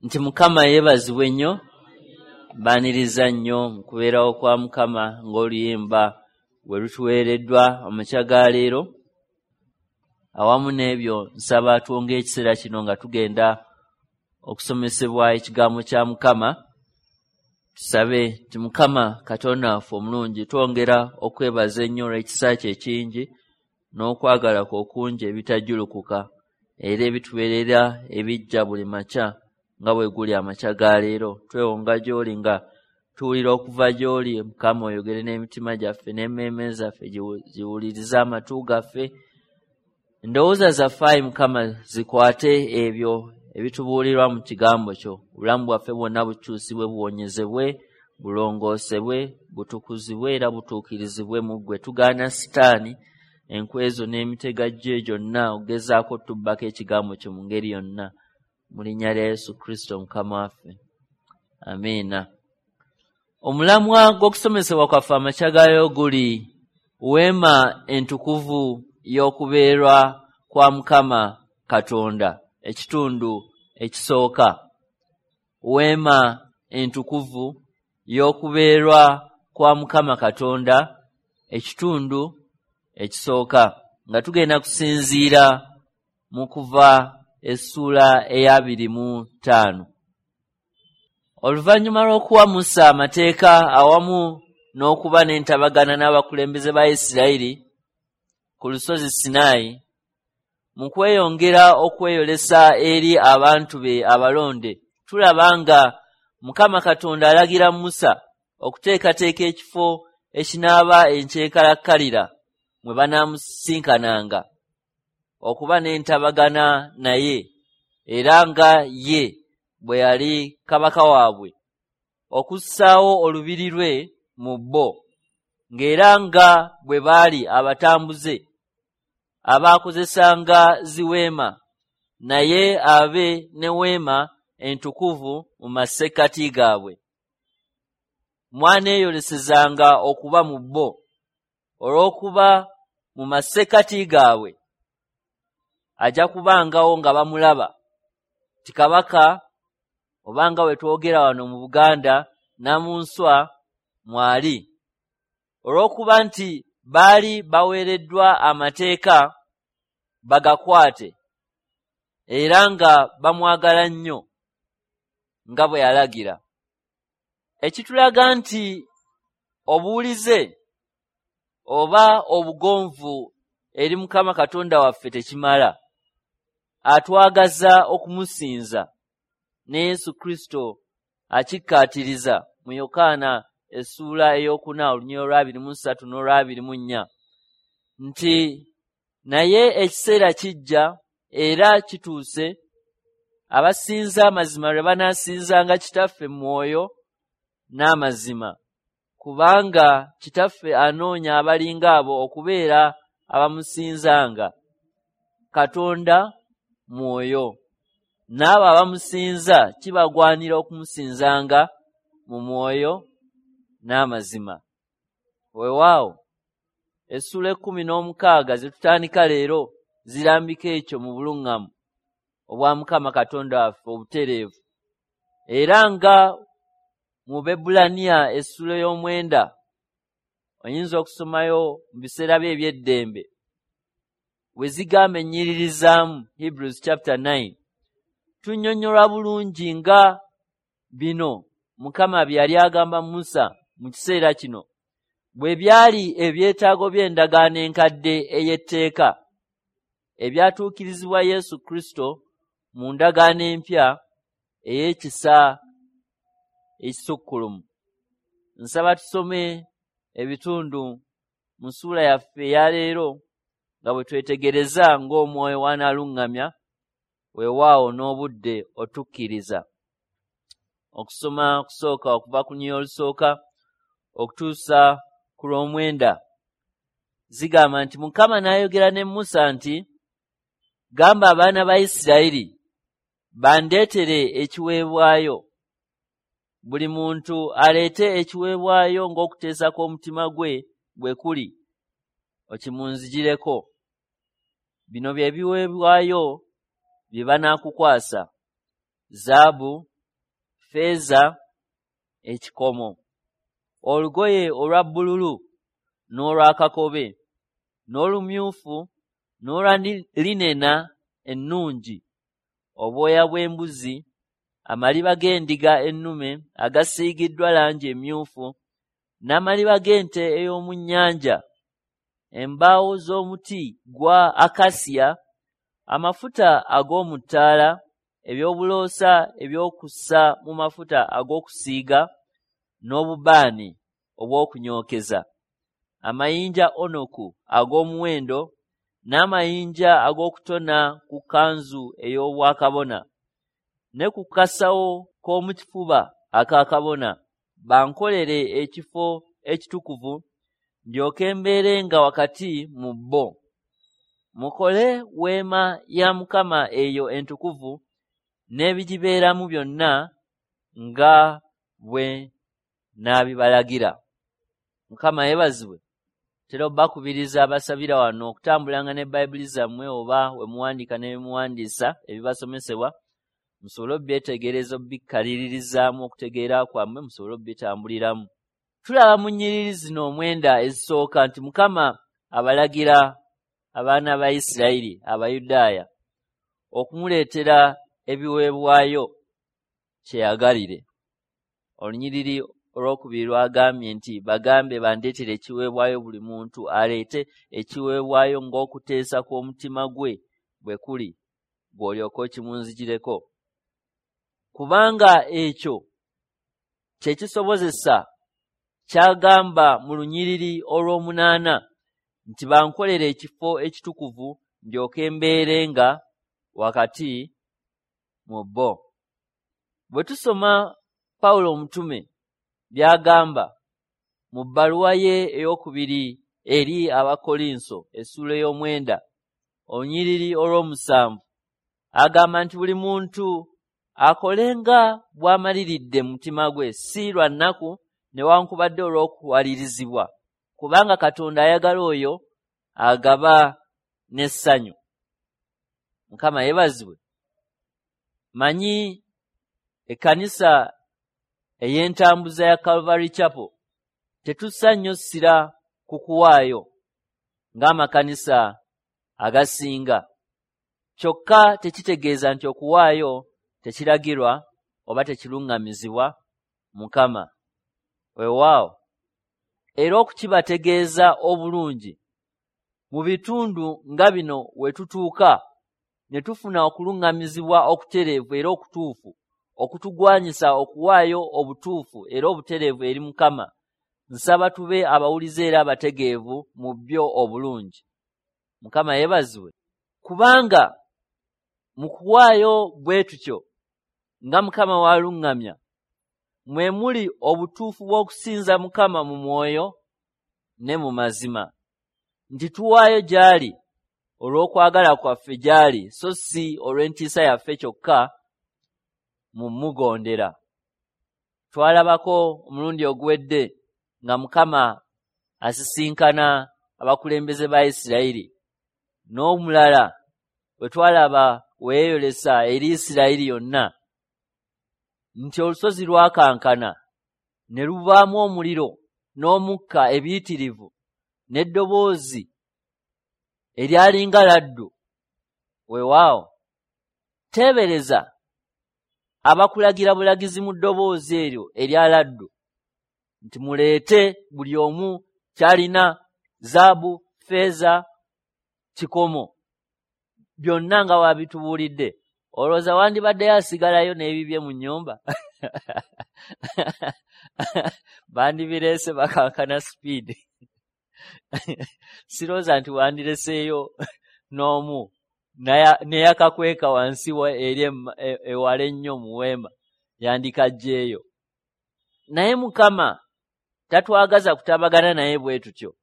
Nti Mukama yeebazibwe nnyo, mbaaniriza nnyo mu kubeerawo kwa Mukama ng'oluyimba bwe lutuweereddwa amakya ga leero. Awamu n'ebyo nsaba twonge ekiseera kino nga tugenda okusomesebwa ekigambo kya Mukama. Tusabe nti Mukama Katonda waffe omulungi, twongera okwebaza ennyo olw'ekisa kye ekingi n'okwagala kwe okungi ebitajjulukuka era ebitubeerera ebijja buli makya nga bwe guli amakya ga leero. Twewonga gy'oli nga tuwulira okuva gy'oli. Mukama oyogere n'emitima gyaffe n'emmeeme zaffe, ziwulirize amatu gaffe. Endowooza zaffe ayi Mukama zikwate ebyo ebitubuulirwa mu kigambo kyo. Obulamu bwaffe bwonna bukyusibwe, buwonyezebwe, bulongoosebwe, butukuzibwe era butuukirizibwe mu ggwe. Tugaana Sitaani enkwezo n'emitego gye gyonna okugezaako otubbako ekigambo kyo mu ngeri yonna. Mu linnya lya Yesu Kristo Mukama waffe. Amiina. Omulamwa gw'okusomesebwa kwaffe amakya gaayo guli weema entukuvu y'okubeerwa kwa Mukama Katonda, ekitundu ekisooka. Weema entukuvu y'okubeerwa kwa Mukama Katonda, ekitundu ekisooka, nga tugenda kusinziira mu Kuva essuula eya 25. Oluvannyuma lw'okuwa Musa amateeka awamu n'okuba n'entabagana n'abakulembeze ba Isirayiri ku lusozi Sinaayi, mu kweyongera okweyolesa eri abantu be abalonde, tulaba nga Mukama Katonda alagira Musa okuteekateeka ekifo ekinaaba enkyekalakkalira mwe banaamusisinkananga okuba n'entabagana naye, era nga ye bwe yali kabaka waabwe, okussaawo olubiri lwe mu bo, ng'era nga bwe baali abatambuze abaakozesanga ziweema, naye abe ne weema entukuvu mu masekkati gaabwe. Mwaneeyolesezanga okuba mu bo, olw'okuba mu masekkati gaabwe ajja kubangawo nga bamulaba ti kabaka, oba nga bwe twogera wano mu Buganda, Namunswa mwali. Olw'okuba nti baali baweereddwa amateeka bagakwate, era nga bamwagala nnyo nga bwe yalagira. Ekitulaga nti obuwulize oba obugonvu eri Mukama Katonda waffe tekimala. Atwagaza okumusinza, ne Yesu Kristo akikkaatiriza mu Yokaana essuula 4 olunyiriri olwa 23 n'olwa 24 nti naye ekiseera kijja era kituuse abasinza amazima lwe banaasinzanga Kitaffe mu mwoyo n'amazima, kubanga Kitaffe anoonya abalinga abo okubeera abamusinzanga. Katonda mwoyo, n'abo abamusinza kibagwanira okumusinzanga mu mwoyo n'amazima. Weewaawo essuula 16 ze tutandika leero zirambika ekyo mu buluŋŋamu obwa Mukama Katonda waffe obutereevu. Era nga mu Baebbulaniya essuula 9, oyinza okusomayo mu biseera bye eby'eddembe, we zigamba ennyiririzaamu, Hebrews chapter 9, tunnyonnyolwa bulungi nga bino Mukama bye yali agamba Musa mu kiseera kino bwe byali ebyetaago by'endagaano enkadde ey'etteeka ebyatuukirizibwa Yesu Kristo mu ndagaano empya ey'ekisa ekisukkulumu. Nsaba tusome ebitundu mu ssuula yaffe eya leero nga bwe twetegereza ng'Omwoyo w'anaaluŋŋamya, weewaawo n'obudde otukkiriza. Okusoma okusooka okuva ku lunyiriri olusooka okutuusa ku lw'omwenda zigamba nti Mukama n'ayogera ne Musa nti, gamba abaana ba Isirayiri bandeetere ekiweebwayo. Buli muntu aleete ekiweebwayo ng'okuteesa kw'omutima gwe bwe kuli, okimunzigireko. Bino bye biweebwayo bye banaakukwasa: zaabu ffeeza, ekikomo, olugoye olwa bbululu n'olwa kakobe, n'olumyufu n'olwa linena ennungi, obwoya bw'embuzi, amaliba g'endiga ennume agasiigiddwa langi emyufu, n'amaliba g'ente ey'omu nnyanja, embaawo z'omuti gwa akasiya, amafuta ag'omu ttaala, eby'obuloosa eby'okussa mu mafuta ag'okusiiga, n'obubaani obw'okunyookeza, amayinja onoku ag'omuwendo, n'amayinja ag'okutona ku kkanzu ey'obwakabona, ne ku kasawo k'omu kifuba aka kabona, bankolere ekifo ekitukuvu, ndyoke mbeerenga wakati mu bo. Mukole weema ya Mukama eyo entukuvu n'ebigibeeramu byonna nga bwe naabibalagira. Mukama yeebazibwe. Tera obbakubiriza abasabira wano okutambulanga ne Bayibuli zammwe oba we muwandiika ne muwandiisa ebibasomesebwa, musobole obbyetegereza, obbikkaliririzaamu okutegeera kwammwe, musobole obbitambuliramu. Tulaba mu nnyiriri zino omwenda ezisooka nti Mukama abalagira abaana ba Isirayiri Abayudaaya okumuleetera ebiweebwayo kyeyagalire. Olunyiriri olwokubiri lwagambye nti bagambe bandeetere ekiweebwayo, buli muntu aleete ekiweebwayo ng'okuteesa kw'omutima gwe bwe kuli, gw'olyoka okimunzigireko. Kubanga ekyo kye kisobozesa kyagamba mu lunyiriri olw'omunaana nti bankolere ekifo ekitukuvu ndyoke mbeerenga wakati mu bo. Bwe tusoma Pawulo omutume by'agamba mu bbaluwa ye ey'okubiri eri Abakolinso essuula ey'omwenda olunyiriri olw'omusanvu, agamba nti buli muntu akolenga bw'amaliridde mu mutima gwe, si lwa nnaku newankubadde olw'okuwalirizibwa, kubanga Katonda ayagala oyo agaba n'essanyu. Mukama yeebazibwe. Manyi ekkanisa ey'entambuza ya Calvary Chapel tetussa nnyo ssira ku kuwaayo ng'amakanisa agasinga. Kyokka tekitegeeza nti okuwaayo tekiragirwa oba tekiruŋŋamizibwa Mukama. Weewaawo, era okukibategeeza obulungi, mu bitundu nga bino we tutuuka ne tufuna okuluŋŋamizibwa okutereevu era okutuufu okutugwanyisa okuwaayo obutuufu era obutereevu eri Mukama. Nsaba tube abawulize era abategeevu mu byo obulungi. Mukama yeebazibwe. Kubanga mu kuwaayo bwe tutyo nga Mukama w'aluŋŋamya, mwe muli obutuufu bw'okusinza Mukama mu mwoyo ne mu mazima, nti tuwaayo gy'ali olw'okwagala kwaffe gy'ali, so si olw'entiisa yaffe kyokka mu mugondera. Twalabako omulundi oguwedde nga Mukama asisinkana abakulembeze ba Isirayiri, n'omulala bwe twalaba we yeeyolesa eri Isirayiri yonna, nti olusozi lwakankana ne luvaamu omuliro n'omukka ebiyitirivu n'eddoboozi eryalinga laddu. Weewaawo, teebereza abakulagira bulagizi mu ddoboozi eryo erya laddu nti muleete buli omu ky'alina, zaabu, ffeeza, kikomo, byonna nga wabitubuulidde. Olowooza wandibaddeyo asigalayo n'ebibye mu nnyumba? Bandibireese bakankana sipiidi. Sirowooza nti wandireseeyo n'omu neyakakweka wansi eri ewala ennyo mu weema, yandikaggyeeyo. Naye Mukama tatwagaza kutabagana naye bwe tutyo,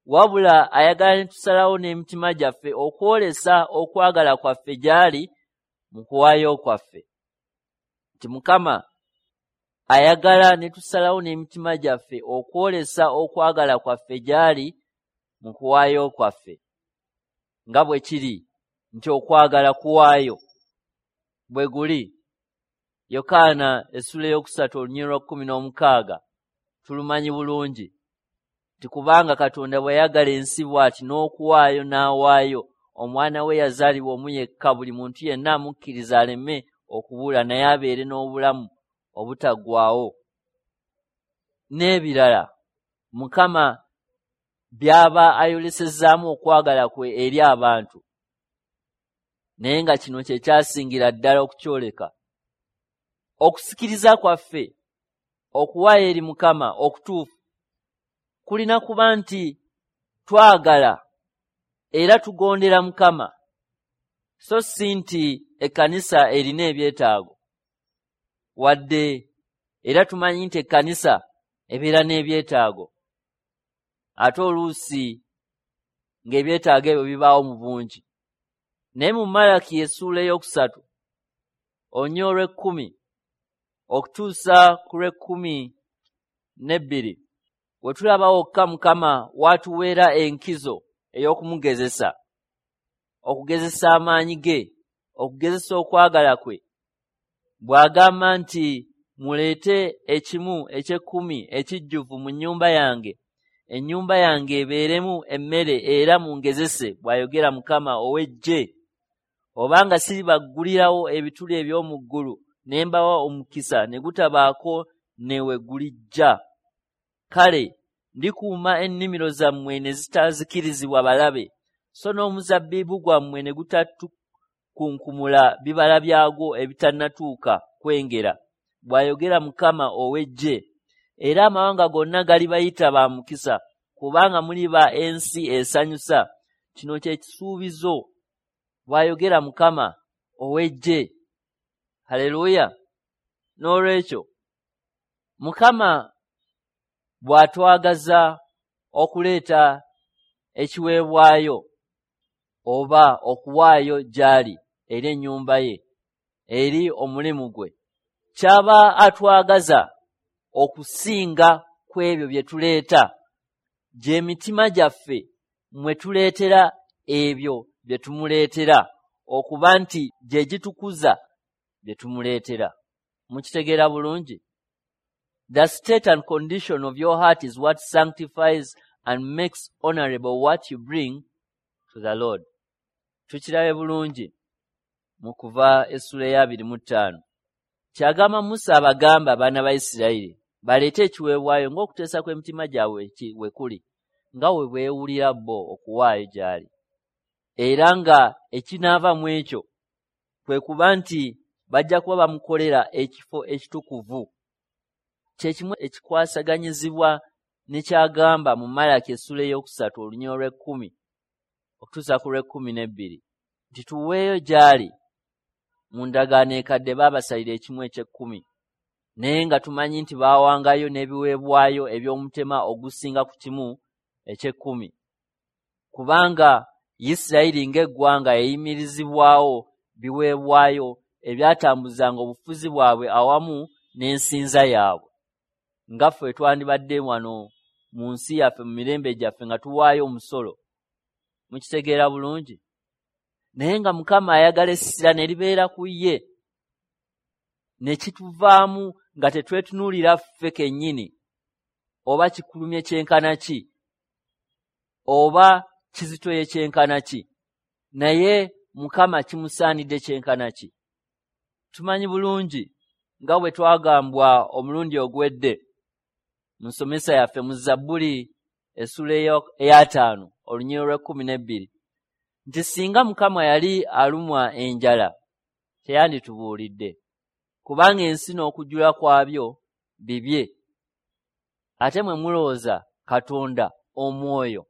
wabula ayagala ne tusalawo n'emitima gyaffe okwolesa okwagala kwaffe gy'ali mu kuwaayo kwaffe. Nti Mukama ayagala ne tusalawo n'emitima gyaffe okwolesa okwagala kwaffe gy'ali mu kuwaayo kwaffe, nga bwe kiri nti okwagala kuwaayo bwe guli. Yokaana essula 3 olunyiriri 16 tulumanyi bulungi nti kubanga Katonda bw'ayagala ensi bw'ati n'okuwaayo n'awaayo omwana we yazaalibwa omu yekka, buli muntu yenna amukkiriza aleme okubula naye abeere n'obulamu obutaggwaawo. N'ebirala Mukama by'aba ayolesezaamu okwagala kwe eri abantu, naye nga kino kye kyasingira ddala okukyoleka. Okusikiriza kwaffe okuwaayo eri Mukama okutuufu kulina kuba nti twagala era tugondera Mukama, so si nti ekkanisa erina ebyetaago. Wadde era tumanyi nti ekkanisa ebeera n'ebyetaago, ate oluusi ng'ebyetaago ebyo bibaawo mu bungi. Naye mu Malaki essuula 3 olunyiriri 10 okutuusa ku 12 we tulaba wokka Mukama w'atuweera enkizo ey'okumugezesa, okugezesa amaanyi ge, okugezesa okwagala kwe, bw'agamba nti muleete ekimu eky'ekkumi ekijjuvu mu nnyumba yange, ennyumba yange ebeeremu emmere era mungezese, bw'ayogera Mukama ow'eggye, obanga siribaggulirawo ebituli eby'omu ggulu ne mbawa omukisa ne gutabaako ne we gulijja. Kale ndikuuma ennimiro zammwe ne zitazikirizibwa balabe, so n'omuzabbibu gwammwe ne gutatukunkumula bibala byagwo ebitannatuuka kwengera, bw'ayogera Mukama ow'eggye. Era amawanga gonna galibayita ba mukisa, kubanga muliba ensi esanyusa. Kino kye kisuubizo, bw'ayogera Mukama ow'eggye. Haleluya! N'olwekyo Mukama bw'atwagaza okuleeta ekiweebwayo oba okuwaayo gy'ali eri ennyumba ye, eri omulimu gwe, kyaba atwagaza okusinga ku ebyo bye tuleeta, gy'emitima gyaffe mwe tuleetera ebyo bye tumuleetera, okuba nti gye gitukuza bye tumuleetera. Mukitegeera bulungi? The state and condition of your heart is what sanctifies and makes honorable what you bring to the Lord. Tukirabe bulungi mu Kuva essula 25. Kyagamba Musa abagamba abaana ba Isirayiri baleete ekiweebwayo ng'okuteesa kw'emitima gyabwe we kuli, nga we beewulira bo okuwaayo gy'ali. Era nga ekinaava mu ekyo kwe kuba nti bajja kuba bamukolera ekifo ekitukuvu. Kye kimu ekikwasaganyizibwa ne kyagamba mu Malaki essula 3 olunyiriri 10 okutuusa ku 12 nti tuweeyo gy'ali. Mu ndagaano ekadde baabasalira ekimu eky'ekkumi, naye nga tumanyi nti baawangayo n'ebiweebwayo eby'omutema ogusinga ku kimu eky'ekkumi, kubanga Isirayiri ng'eggwanga yayimirizibwawo biweebwayo ebyatambuzanga obufuzi bwabwe awamu n'ensinza yaabwe. Nga ffe twandibadde wano mu nsi yaffe mu mirembe gyaffe nga tuwaayo omusolo. Mukitegeera bulungi? Naye nga Mukama ayagala essira ne libeera ku ye, ne kituvaamu nga tetwetunuulira ffe kennyini, oba kikulumye kyenkana ki, oba kizitoye kyenkana ki, naye Mukama kimusaanidde kyenkana ki. Tumanyi bulungi nga bwe twagambwa omulundi oguwedde mu nsomesa yaffe mu Zabbuli essula 5 olunyiriri 12 nti singa Mukama yali alumwa enjala teyanditubuulidde, kubanga ensi n'okujjula kwabyo bibye. Ate mwe mulowooza Katonda omwoyo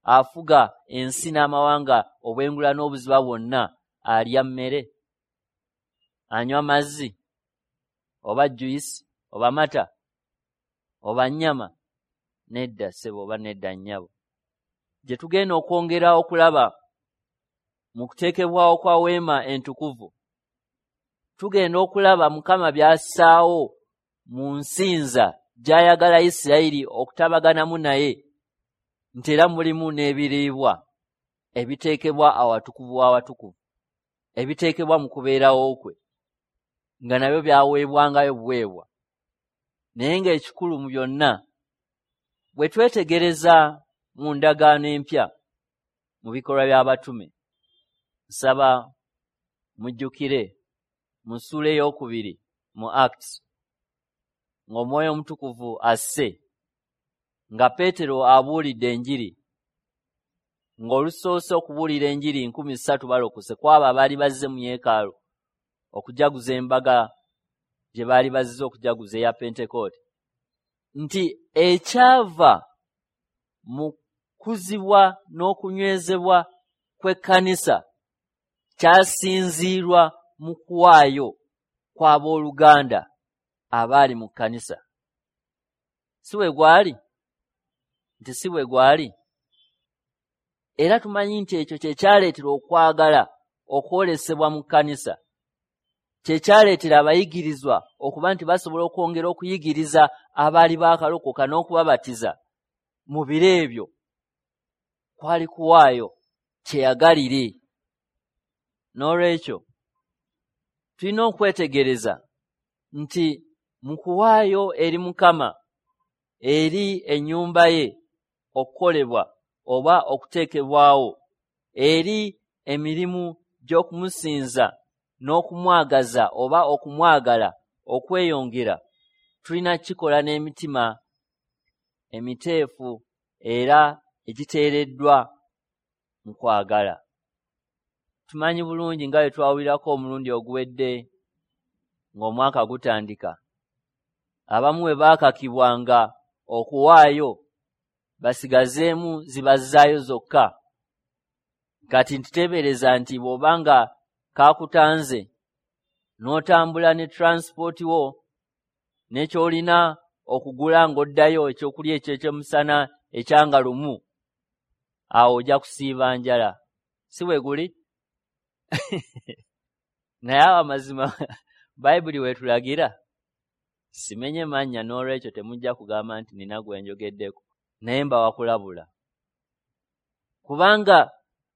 afuga ensi n'amawanga obwengula n'obuziba bwonna alya mmere, anywa mazzi, oba juyisi, oba mata, oba nnyama? Nedda ssebo, oba nedda nnyabo. Gye tugenda okwongera okulaba mu kuteekebwawo kwa weema entukuvu, tugenda okulaba Mukama by'assaawo mu nsinza gy'ayagala Isirayiri okutabaganamu naye, nti era mulimu n'ebiriibwa ebiteekebwa awatukuvu w'awatukuvu, ebiteekebwa mu kubeerawo kwe. nga nabyo byaweebwangayo buweebwa. Naye ng'ekikulu mu byonna, bwe twetegereza mu ndagaano empya mu bikolwa by'abatume, nsaba mujjukire mu ssuula 2 mu Acts, ng'Omwoyo Omutukuvu asse, nga Peetero abuulidde enjiri, ng'olusoose okubuulira enjiri 3,000 balokose ku abo abaali bazze mu yeekaalu okujaguza embaga gye baali bazze okujaguza eya Pentekooti, nti ekyava mu kuzibwa n'okunywezebwa kw'ekkanisa kyasinziirwa mu kuwaayo kw'abooluganda abaali mu kkanisa. Si bwe gwali? Nti si bwe gwali? Era tumanyi nti ekyo kye kyaleetera okwagala okwolesebwa mu kkanisa, kye kyaleetera abayigirizwa okuba nti basobola okwongera okuyigiriza abaali baakalokoka n'okubabatiza mu biro ebyo. Kwali kuwaayo kyeyagalire. N'olwekyo tulina okwetegereza nti mu kuwaayo eri Mukama, eri ennyumba ye okukolebwa oba okuteekebwawo, eri emirimu gy'okumusinza n'okumwagaza oba okumwagala okweyongera, tulina kukikola n'emitima emiteefu era egiteereddwa mu kwagala. Tumanyi bulungi nga bwe twawulirako omulundi oguwedde ng'omwaka gutandika, abamu bwe baakakibwanga okuwaayo basigazeemu zibazzaayo zokka. Kati ntiteebereza nti bw'obanga kaakutanze n'otambula ne transport wo n'ekyolina okugula ng'oddayo ekyokulya eky'ekyemisana ekyanga lumu, awo ojja kusiiba njala. Si bwe guli? Naye awo amazima Bayibuli weetulagira. Simenye mannya, n'olwekyo temujja kugamba nti nina gwe njogeddeko, naye mbawa kulabula. Kubanga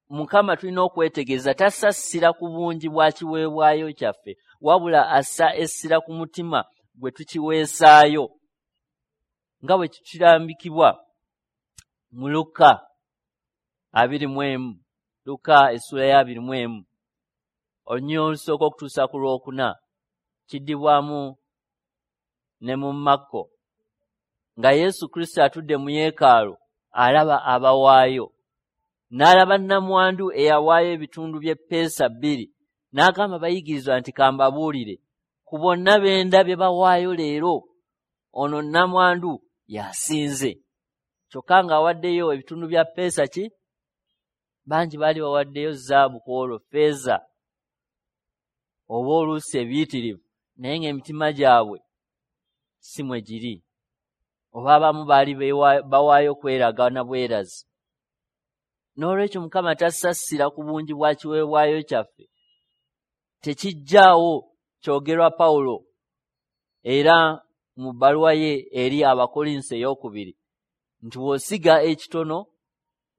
Mukama tulina okwetegereza tassa ssira ku bungi bwa kiweebwayo kyaffe, wabula assa essira ku mutima gwe tukiweesaayo, nga bwe kirambikibwa mu Luka 21, Luka essula ya 21, olunyiriri olusooka okutuusa ku lwokuna, kiddibwamu ne mu Makko, nga Yesu Kristo atudde mu yeekaalu alaba abawaayo, n'alaba nnamwandu eyawaayo ebitundu by'eppeesa 2, n'agamba abayigirizwa nti kambabuulire, ku bonna be ndabye bawaayo leero, ono nnamwandu y'asinze. Kyokka ng'awaddeyo ebitundu bya ppeesa ki? Bangi baali bawaddeyo zaabu ku olwo, ffeeza oba oluusi ebiyitirivu, naye ng'emitima gyabwe si mwe giri. Oba abamu baali bawaayo kweraga na bwerazi. N'olwekyo Mukama tassa ssira ku bungi bwa kiweebwayo kyaffe. Tekijjaawo kyogerwa Pawulo era mu bbaluwa ye eri Abakolinso 2 nti bw'osiga ekitono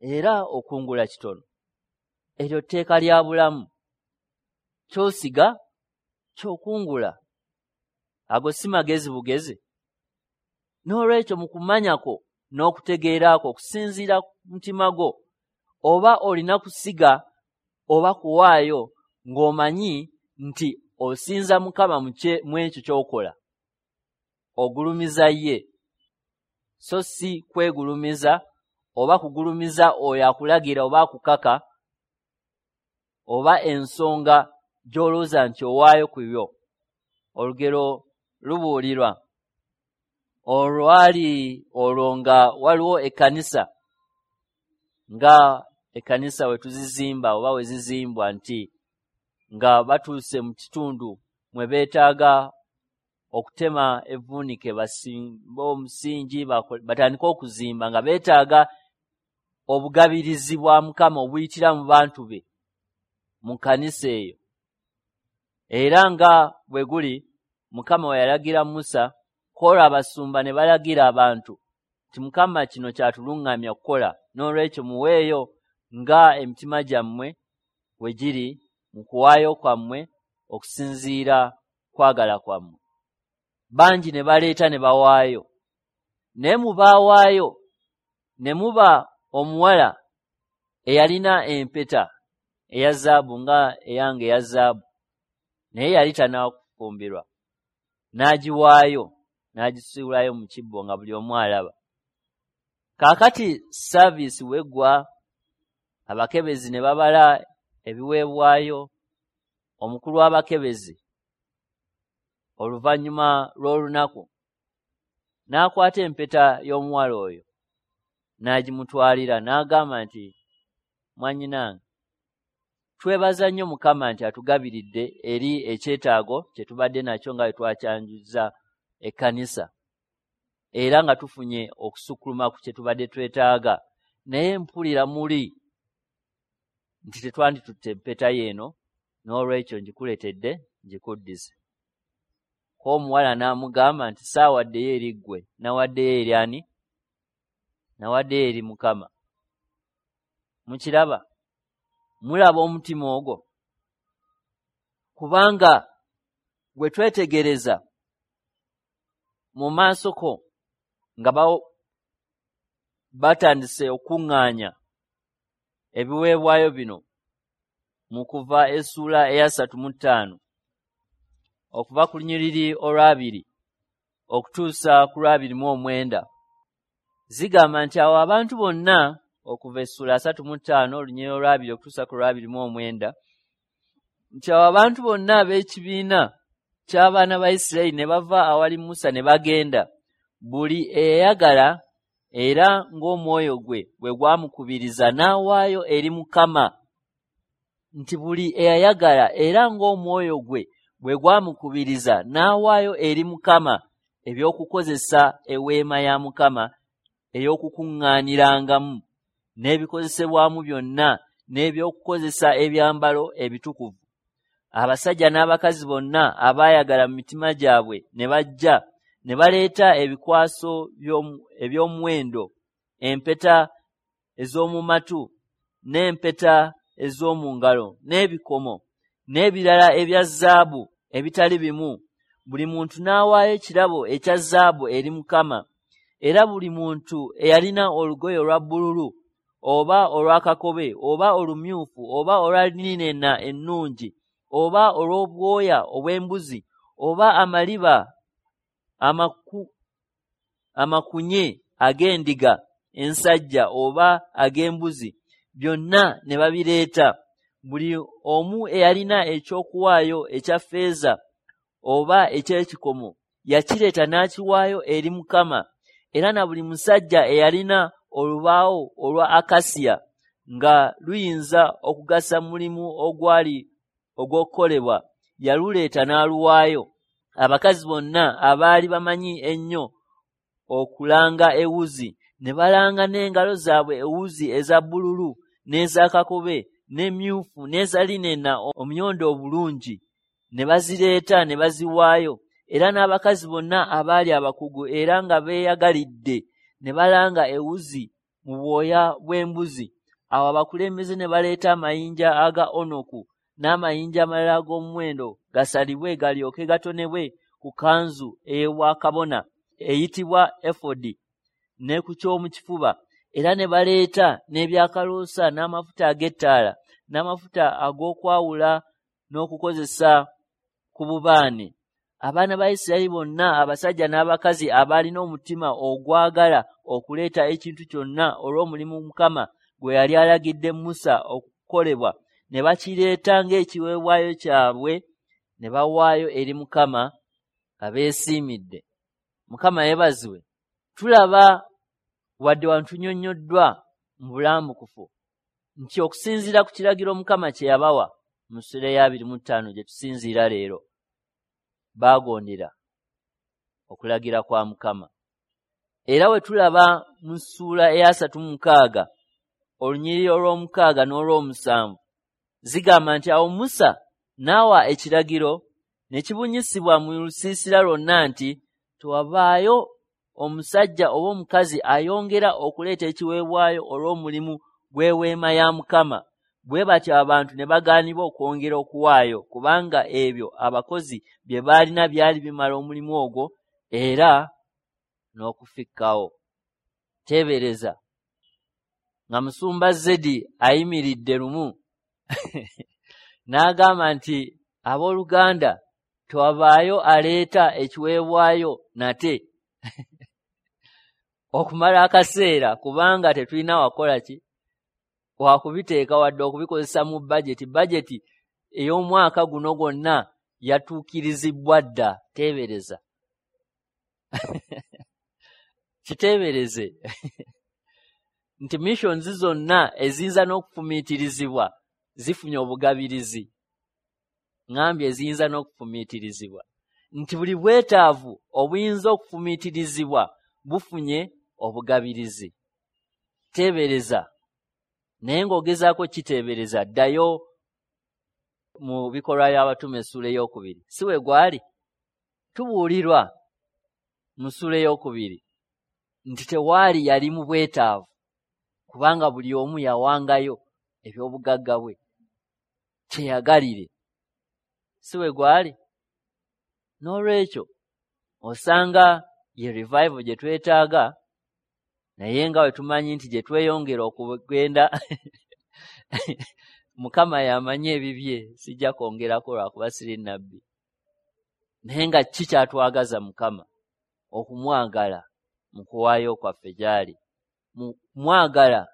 era okungula kitono. Eryo tteeka lya bulamu. Ky'osiga ky'okungula. Ago si magezi bugezi. N'olwekyo mu kumanya kwo n'okutegeera kwo okusinziira ku mutima gwo, oba olina kusiga oba kuwaayo ng'omanyi nti osinza Mukama mu ekyo ky'okola. Ogulumiza ye, so si kwegulumiza oba kugulumiza oyo akulagira oba akukaka oba ensonga gy'olowooza nti owaayo ku yo. Olugero lubuulirwa olwali olwo nga waliwo ekkanisa, nga ekkanisa we tuzizimba oba we zizimbwa, nti nga batuuse mu kitundu mwe beetaaga okutema evvuunike basimbe omusingi batandike okuzimba, nga beetaaga obugabirizi bwa Mukama obuyitira mu bantu be mu kkanisa eyo. Era nga bwe guli, Mukama we yalagira Musa, kwolwo abasumba ne balagira abantu nti Mukama kino kyatuluŋŋamya okukola, n'olwekyo muweeyo nga emitima gyammwe we giri mu kuwaayo kwammwe okusinziira kwagala kwammwe. Bangi ne baleeta ne bawaayo, naye mu baawaayo ne muba omuwala eyalina empeta eya zaabu nga eyange eya zaabu, naye yali tannafumbirwa, n'agiwaayo n'agisuulayo mu kibbo nga buli omu alaba. Kaakati saaviisi weggwa, abakebezi ne babala ebiweebwayo. Omukulu w'abakebezi oluvannyuma lw'olunaku n'akwata empeta y'omuwala oyo n'agimutwalira, n'agamba nti, "Mwannyinange, twebaza nnyo Mukama nti atugabiridde eri ekyetaago kye tubadde nakyo nga bwe twakyanjuzza ekkanisa, era nga tufunye okusukkuluma ku kye tubadde twetaaga. Naye mpulira muli nti tetwanditutte empeta yeeno, n'olwekyo ngikuleetedde ngikuddize." Ko omuwala n'amugamba nti, "Saawaddeyo eri ggwe, nawaddeyo eri ani? Nawaddeyo eri Mukama." Mukiraba? Mulaba omutima ogwo? Kubanga bwe twetegereza mu maaso ko nga batandise okuŋŋaanya ebiweebwayo bino mu Kuva essuula eya 35 okuva ku lunyiriri olwabiri okutuusa ku 29, zigamba nti awo abantu bonna, okuva essuula 35 olunyiriri olwabiri okutuusa ku 29, nti awo abantu bonna ab'ekibiina ky'abaana ba Isirayiri ne bava awali Musa ne bagenda, buli eyayagala era ng'omwoyo gwe bwe gwamukubiriza n'awaayo eri Mukama. Nti buli eyayagala era ng'omwoyo gwe bwe gwamukubiriza n'awaayo eri Mukama eby'okukozesa eweema ya Mukama ey'okukuŋŋaanirangamu, n'ebikozesebwamu byonna, n'ebyokukozesa ebyambalo ebitukuvu. Abasajja n'abakazi bonna abaayagala mu mitima gyabwe ne bajja ne baleeta ebikwaso eby'omuwendo, empeta ez'omu matu, n'empeta ez'omu ngalo, n'ebikomo, n'ebirala ebya zaabu ebitali bimu. Buli muntu n'awaayo ekirabo ekya zaabu eri Mukama. Era buli muntu eyalina olugoye olwa bbululu oba olwa kakobe oba olumyufu oba olwa linena ennungi oba olw'obwoya obw'embuzi oba amaliba amakunye ag'endiga ensajja oba ag'embuzi, byonna ne babireeta. Buli omu eyalina ekyokuwaayo ekya ffeeza oba eky'ekikomo yakireeta n'akiwaayo eri Mukama. Era na buli musajja eyalina olubaawo olwa akasiya nga luyinza okugasa mulimu ogwali ogw'okukolebwa, yaluleeta n'aluwaayo. Abakazi bonna abaali bamanyi ennyo okulanga ewuzi ne balanga n'engalo zaabwe ewuzi eza bbululu n'eza kakobe n'emmyufu n'eza linena omuyondo obulungi, ne bazireeta ne baziwaayo. Era n'abakazi bonna abaali abakugu era nga beeyagalidde ne balanga ewuzi mu bwoya bw'embuzi. Awo abakulembeze ne baleeta amayinja aga onoku n'amayinja amalala ag'omuwendo gasalibwe galyoke gatonebwe ku kanzu ey'obwakabona eyitibwa efodi ne ku ky'omu kifuba. Era ne baleeta n'ebyakaloosa n'amafuta ag'ettaala n'amafuta ag'okwawula n'okukozesa ku bubaane. Abaana ba Isirayiri bonna, abasajja n'abakazi abaalina omutima ogwagala okuleeta ekintu kyonna olw'omulimu Mukama gwe yali alagidde Musa okukolebwa, ne bakireeta ng'ekiweebwayo kyabwe ne bawaayo eri Mukama nga beesiimidde. Mukama yeebazibwe. Tulaba wadde wantunyonnyoddwa mu bulambukufu nti okusinziira ku kiragiro Mukama kye yabawa mu ssuula eya 25 gye tusinziira leero, baagondera okulagira kwa Mukama. Era we tulaba mu ssuula eya 36 olunyiriri olw'omukaaga n'olw'omusanvu zigamba nti awo Musa n'awa ekiragiro ne kibunyisibwa mu lusiisira lwonna nti tewabaayo omusajja oba omukazi ayongera okuleeta ekiweebwayo olw'omulimu gw'eweema ya Mukama. Bwe batyo abantu ne bagaanibwa okwongera okuwaayo, kubanga ebyo abakozi bye baalina byali bimala omulimu ogwo era n'okufikkawo. Teebereza nga Musumba Zedi ayimiridde lumu n'agamba nti abooluganda tewabaayo aleeta ekiweebwayo nate okumala akaseera, kubanga tetulina wakola ki wakubiteeka wadde okubikozesa mu bajeti. Bajeti ey'omwaka guno gwonna yatuukirizibwa dda. Teebereza kiteebereze nti missions zonna eziyinza n'okufumiitirizibwa zifunye obugabirizi. Ŋŋambye eziyinza n'okufumiitirizibwa, nti buli bwetaavu obuyinza okufumiitirizibwa bufunye obugabirizi. Teebereza, naye ng'ogezaako kiteebereza, ddayo mu bikolwa by'abatume essuula 2, si we gwali? Tubuulirwa mu ssuula 2 nti tewaali yali mu bwetaavu, kubanga buli omu yawangayo eby'obugagga bwe kyeyagalire, si we gwali? N'olwekyo osanga ye revival gye twetaaga, naye nga bwe tumanyi nti gye tweyongera okugenda Mukama y'amanyi ebibye, sijja kwongerako lwakuba siri nnabbi. Naye nga ki kyatwagaza Mukama? Okumwagala mu kuwaayo kwaffe gy'ali, mu kumwagala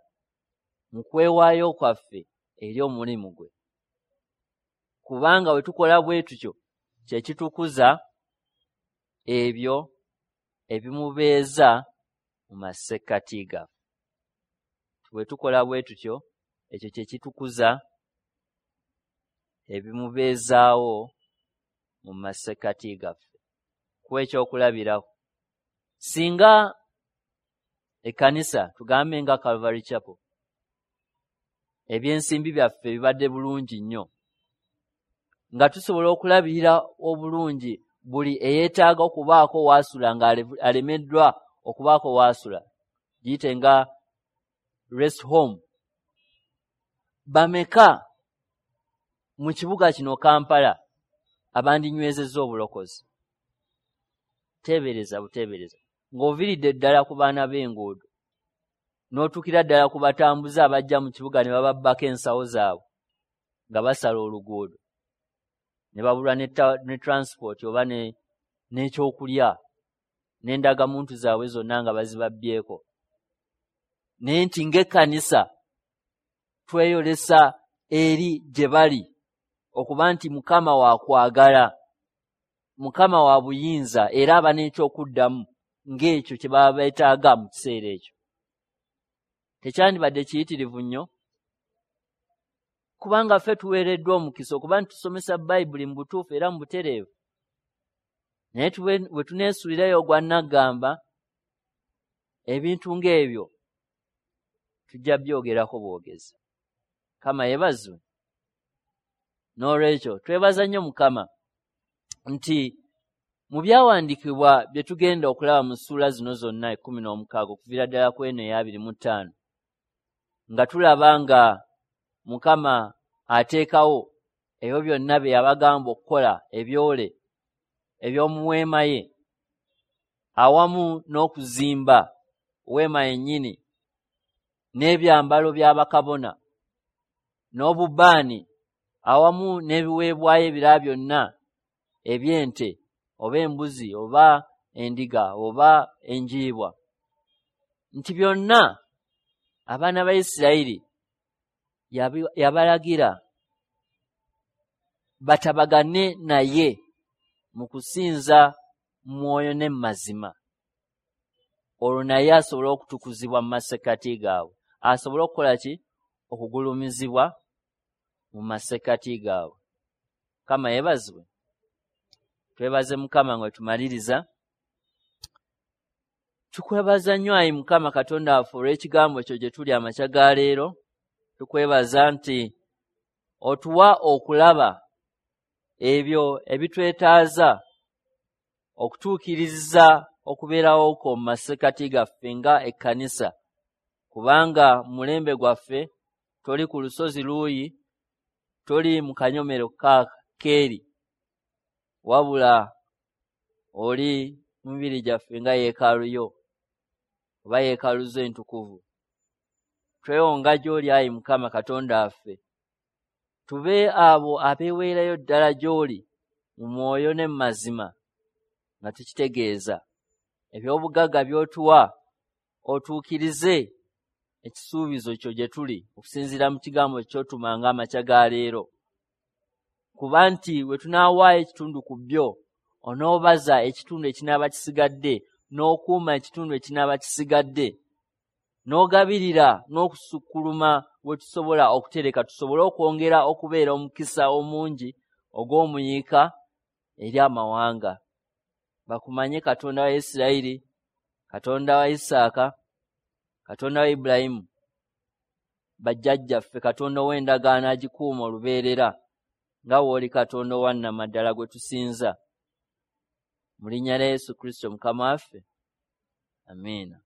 mu kwewaayo kwaffe eri omulimu gwe. Kubanga bwe tukola bwe tutyo kye kitukuza ebyo ebimubeeza mu masekkati gaffe. Bwe tukola bwe tutyo ekyo kye kitukuza ebimubeezaawo mu masekkati gaffe. Kuwa ekyokulabirako, singa ekkanisa tugambe nga Calvary Chapel, ebyensimbi byaffe bibadde bulungi nnyo, nga tusobola okulabirira obulungi buli eyeetaaga okubaako waasula nga alemeddwa okubaako waasula, giyite nga rest home. Bameka mu kibuga kino Kampala abandinywezezza obulokozi? Teebereza buteebereza ng'oviiridde ddala ku baana b'enguudo n'otuukira ddala ku batambuze abajja mu kibuga ne bababbako ensawo zaabwe nga basala oluguudo ne babulwa ne transport oba n'ekyokulya n'endagamuntu zaabwe zonna nga bazibabbyeko. Naye nti ng'ekkanisa tweyolesa eri gye bali okuba nti Mukama wa kwagala, Mukama wa buyinza, era aba n'ekyokuddamu ng'ekyo kye baba beetaaga mu kiseera ekyo. Tekyandibadde kiyitirivu nnyo? Kubanga ffe tuweereddwa omukisa okuba nti tusomesa Bayibuli mu butuufu era mu butereevu. Naye bwe tuneesuulirayo ogwa nnaggamba, ebintu ng'ebyo tujja byogerako bwogezi. Mukama yeebazibwe. N'olwekyo twebaza nnyo Mukama nti mu byawandiikibwa bye tugenda okulaba mu ssuula zino zonna 16 okuviira ddala ku eno eya 25, nga tulaba nga Mukama ateekawo ebyo byonna bye yabagamba okukola, ebyole eby'omu weema ye, awamu n'okuzimba weema yennyini n'ebyambalo by'abakabona n'obubaani awamu n'ebiweebwayo ebirala byonna eby'ente oba embuzi oba endiga oba enjiibwa, nti byonna abaana ba Isirayiri yabalagira batabagane naye mu kusinza mwoyo ne mazima, olwo naye asobole okutukuzibwa mu masekkati gaabwe, asobole okukola ki? Okugulumizibwa mu masekkati gaabwe. Mukama yeebazibwe. Twebaze Mukama nga tumaliriza. Tukwebaza nnyo ayi Mukama Katonda waffe olw'ekigambo kyo gye tuli amakya ga leero. Tukwebaza nti otuwa okulaba ebyo ebitwetaaza okutuukiriza okubeerawo kwo mu masekkati gaffe nga ekkanisa, kubanga mu mulembe gwaffe Toli ku lusozi luuyi, toli mu kanyomero keeri, wabula oli mu mibiri gyaffe nga yeekaalu yo oba yeekaalu zo entukuvu. Twewonga gy'oli, ayi Mukama Katonda waffe, tube abo abeeweerayo ddala gy'oli mu mwoyo ne mu mazima, nga tukitegeeza eby'obugagga by'otuwa, otuukirize ekisuubizo kyo gye tuli okusinziira mu kigambo ky'otumanga amakya ga leero. Kuba nti we tunaawaayo ekitundu ku byo, onoobaza ekitundu ekinaaba kisigadde, n'okuuma ekitundu ekinaaba kisigadde, n'ogabirira n'okusukkuluma we tusobola okutereka, tusobole okwongera okubeera omukisa omungi ogw'omuyiika eri amawanga. Bakumanye Katonda wa Isirayiri, Katonda wa Isaaka, Katonda wa Ibulayimu, bajjajjaffe, Katonda ow'endagaano agikuuma olubeerera, nga w'oli Katonda owa nnamaddala gwe tusinza. Mu linnya lya Yesu Kristo Mukama waffe, amiina.